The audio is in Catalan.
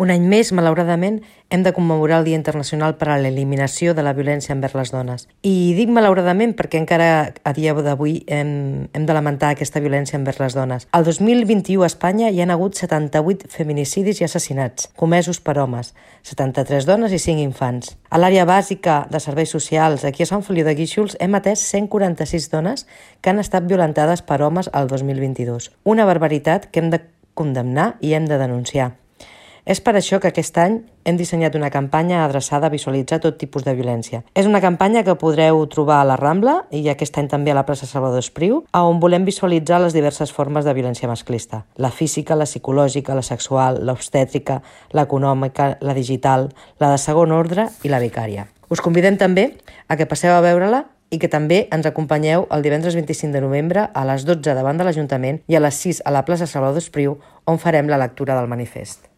Un any més, malauradament, hem de commemorar el Dia Internacional per a l'Eliminació de la Violència envers les dones. I dic malauradament perquè encara a dia d'avui hem de lamentar aquesta violència envers les dones. El 2021 a Espanya hi ha hagut 78 feminicidis i assassinats, comesos per homes, 73 dones i 5 infants. A l'àrea bàsica de serveis socials, aquí a Sant Feliu de Guíxols, hem atès 146 dones que han estat violentades per homes al 2022. Una barbaritat que hem de condemnar i hem de denunciar. És per això que aquest any hem dissenyat una campanya adreçada a visualitzar tot tipus de violència. És una campanya que podreu trobar a la Rambla i aquest any també a la plaça Salvador Espriu, on volem visualitzar les diverses formes de violència masclista. La física, la psicològica, la sexual, l'obstètrica, l'econòmica, la digital, la de segon ordre i la vicària. Us convidem també a que passeu a veure-la i que també ens acompanyeu el divendres 25 de novembre a les 12 davant de l'Ajuntament i a les 6 a la plaça Salvador Espriu, on farem la lectura del manifest.